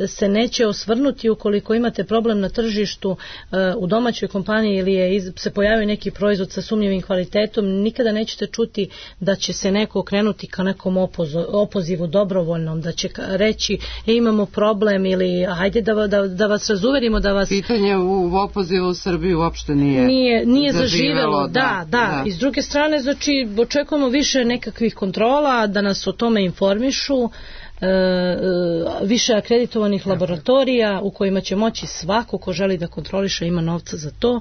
se neće osvrnuti ukoliko imate problem na tržištu u domaćoj kompaniji ili se pojavi neki proizvod sa sumnjivim kvalitetom, nikada nećete čuti da će se neko okrenuti ka nekom opozivu dobrovoljnom, da će reći imamo problem ili hajde da vas razuverimo, da vas... Pitanje u opozivu u Srbiji uopšte nije zaživelo. Da. I s druge strane, znači, očekujemo više nekakvih kontrola, da nas o tome informišu, više akreditovanih laboratorija u kojima će moći svako ko želi da kontroliše ima novca za to,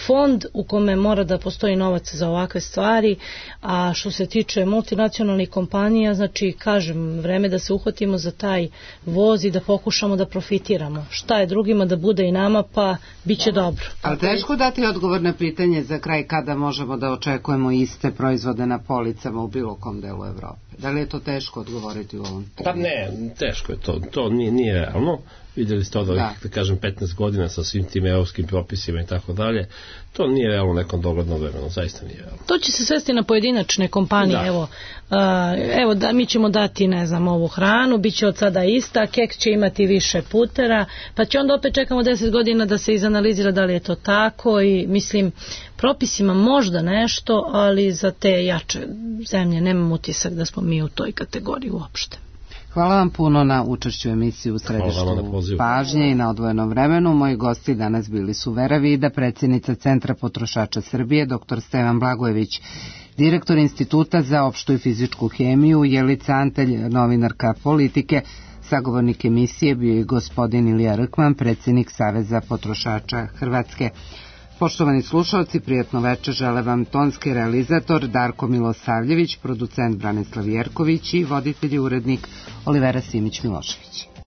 fond u kome mora da postoji novac za ovakve stvari. A što se tiče multinacionalnih kompanija, znači kažem, vreme da se uhvatimo za taj voz i da pokušamo da profitiramo. Šta je drugima da bude i nama, pa bit će dobro. Ali teško dati odgovor na pitanje za kraj kada možemo da očekujemo iste proizvode na policama u bilo kom delu Evrope. Da li je to teško odgovoriti u ovom? Pa ne, teško je to nije realno. Vidjeli ste od ovih, da kažem, 15 godina sa svim tim evropskim propisima i tako dalje. To nije realno nekom doglednom vremenu, zaista nije realno. To će se svesti na pojedinačne kompanije. Evo da mi ćemo dati, ne znam, ovu hranu, bit će od sada ista, keks će imati više putera, pa će onda opet čekamo 10 godina da se izanalizira da li je to tako i mislim, propisima možda nešto, ali za te jače zemlje nemam utisak da smo mi u toj kategoriji uopšte. Hvala vam puno na učešću u emisiji u središtu pažnje i na odvojenom vremenu. Moji gosti danas bili su Vera Vida, predsjednica Centra potrošača Srbije, dr. Stevan Blagojević, direktor Instituta za opštu i fizičku hemiju, Jelica Antelj, novinarka politike, sagovornik emisije bio i gospodin Ilija Rkman, predsjednik Saveza potrošača Hrvatske. Poštovani slušalci, prijatno večer žele vam tonski realizator Darko Milosavljević, producent Branislav Jerković i voditelj i urednik Olivera Simić-Milošević.